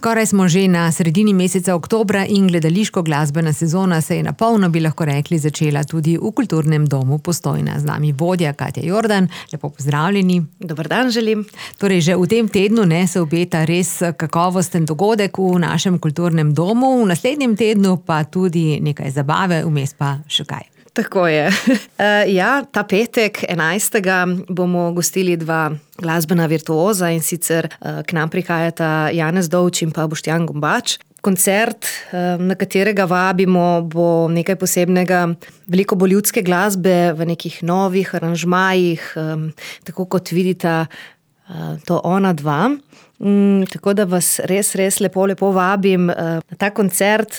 Skoraj smo že na sredini meseca oktobra in gledališko-glasbena sezona se je na polno, bi lahko rekli, začela tudi v Kulturnem domu Postojna. Z nami vodja Katja Jordan. Lepo pozdravljeni. Dober dan želim. Torej, že v tem tednu se obeta res kakovosten dogodek v našem kulturnem domu, v naslednjem tednu pa tudi nekaj zabave, vmes pa še kaj. Tako je. Ta petek, 11. bomo gostili dva glasbena virtuoza, in sicer k nam prihajata Janez Dovč in pa Boštjan Gombač. Koncert, na katerega vabimo, bo nekaj posebnega, veliko bo ljudske glasbe v nekih novih aranžmajih, tako kot vidita to ona dva. Tako da vas res lepo vabim na ta koncert,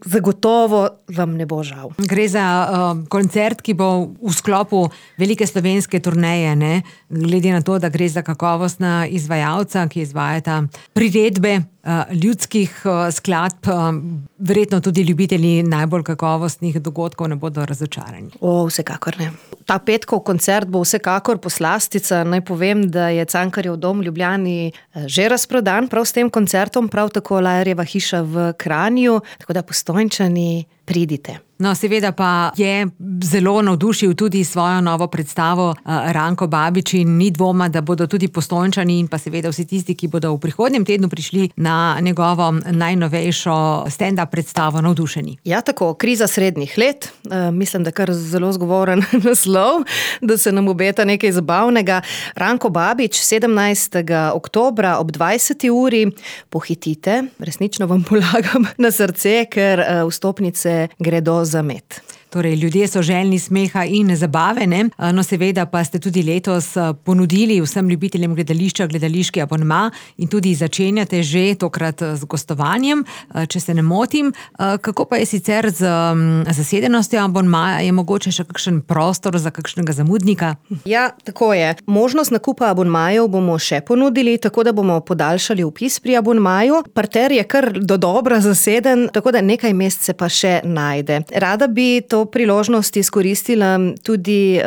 zagotovo vam ne bo žal. Gre za koncert, ki bo v sklopu velike slovenske turneje, ne? Glede na to, da gre za kakovostna izvajalca, ki izvajata priredbe ljudskih skladb, verjetno tudi ljubitelji najbolj kakovostnih dogodkov ne bodo razočarani. Vsekakor ne. Ta petkov koncert bo vsekakor poslastica. Naj povem, da je Cankarjev dom v Ljubljani že razprodan prav s tem koncertom, prav tako Lajerjeva hiša v Kranju, tako da Postojnčani, pridite. No, seveda pa je zelo navdušil tudi svojo novo predstavo Ranko Babič in ni dvoma, da bodo tudi Postojnčani in pa seveda vsi tisti, ki bodo v prihodnjem tednu prišli na njegovo najnovejšo stand-up predstavo, navdušeni. Ja, tako, kriza srednjih let. Mislim, da kar zelo zgovoren naslov, da se nam obeta nekaj zabavnega. Ranko Babič, 17. oktobra ob 20. uri. Pohitite, resnično vam polagam na srce, ker vstopnice gredo za med. Torej, ljudje so željni smeha in zabave, ne? No, seveda pa ste tudi letos ponudili vsem ljubiteljem gledališča gledališki abonma in tudi začenjate že tokrat z gostovanjem, če se ne motim. Kako pa je sicer z zasedenostjo abonmaja? Je mogoče še kakšen prostor za kakšnega zamudnika? Ja, tako je. Možnost nakupa abonmajev bomo še ponudili, tako da bomo podaljšali vpis pri abonmaju. Parter je kar dodobra zaseden, tako da nekaj mest se pa še najde. Rada bi to priložnost izkoristila tudi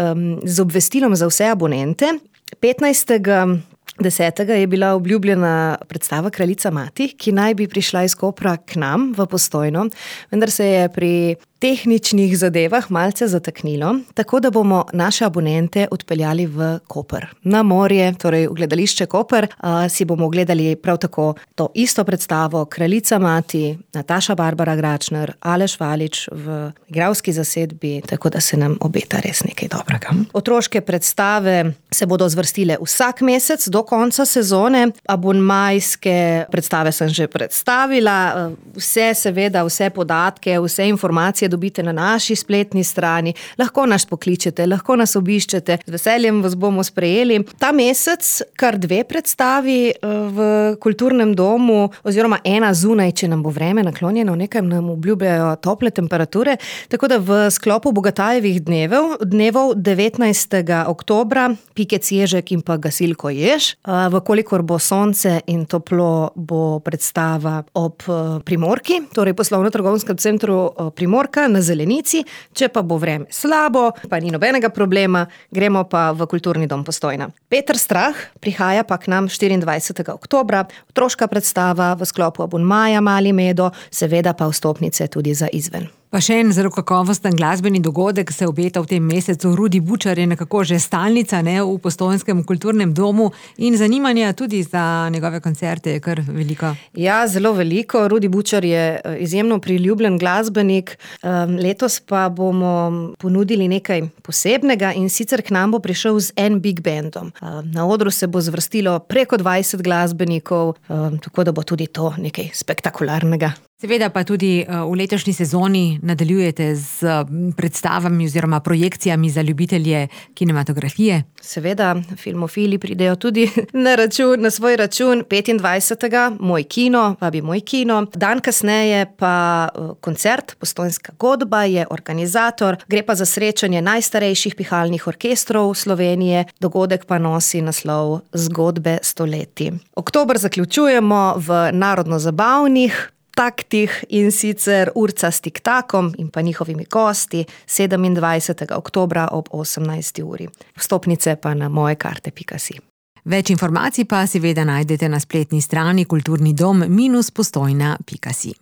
z obvestilom za vse abonente. 15. 10. je bila obljubljena predstava Kraljica mati, ki naj bi prišla iz Kopra k nam v Postojno, vendar se je pri tehničnih zadevah malce zataknilo, tako da bomo naše abonente odpeljali v Koper. Na morje, torej v gledališče Koper, si bomo ogledali prav tako to isto predstavo Kraljica mati, Nataša Barbara Gračner, Aleš Valič v igralski zasedbi, tako da se nam obeta res nekaj dobrega. Otroške predstave se bodo zvrstile vsak mesec do konca sezone. Abonmajske predstave sem že predstavila. Vse podatke, vse informacije dobite na naši spletni strani. Lahko nas pokličete, lahko nas obiščete. Z veseljem vas bomo sprejeli. Ta mesec kar 2 predstavi v Kulturnem domu, oziroma ena zunaj, če nam bo vreme naklonjeno, nekaj nam obljubljajo tople temperature. Tako da v sklopu Bogatajevih dnevov 19. oktobra Pikec Ježek in pa Gasilko Jež. Vkolikor bo sonce in toplo, bo predstava ob Primorki, torej poslovno-trgovskem centru Primorka na Zelenici. Če pa bo vreme slabo, pa ni nobenega problema, gremo pa v Kulturni dom Postojna. Peter Strah prihaja pa k nam 24. oktobra, otroška predstava v sklopu abonmaja Mali Medo, seveda pa vstopnice tudi za izven. Pa še en zelo kakovosten glasbeni dogodek se obeta v tem mesecu. Rudi Bučar je nekako že stalnica, ne, v Postojnskem kulturnem domu in zanimanja tudi za njegove koncerte je kar veliko. Ja, zelo veliko. Rudi Bučar je izjemno priljubljen glasbenik. Letos pa bomo ponudili nekaj posebnega, in sicer k nam bo prišel z en big bandom. Na odru se bo zvrstilo preko 20 glasbenikov, tako da bo tudi to nekaj spektakularnega. Seveda pa tudi v letošnji sezoni nadaljujete z predstavami oziroma projekcijami za ljubitelje kinematografije. Seveda, filmofili pridejo tudi na svoj račun. 25. Moj kino, vabi Moj kino. Dan kasneje pa koncert Postojnska godba je organizator. Gre pa za srečanje najstarejših pihalnih orkestrov Slovenije. Dogodek pa nosi naslov Zgodbe stoletij. Oktober zaključujemo v narodno-zabavnih taktih, in sicer Urca s Tiktakom in pa njihovimi gosti 27. oktobra ob 18. uri. Vstopnice pa na mojekarte.si. Več informacij pa seveda najdete na spletni strani kulturnidom-postojna.si.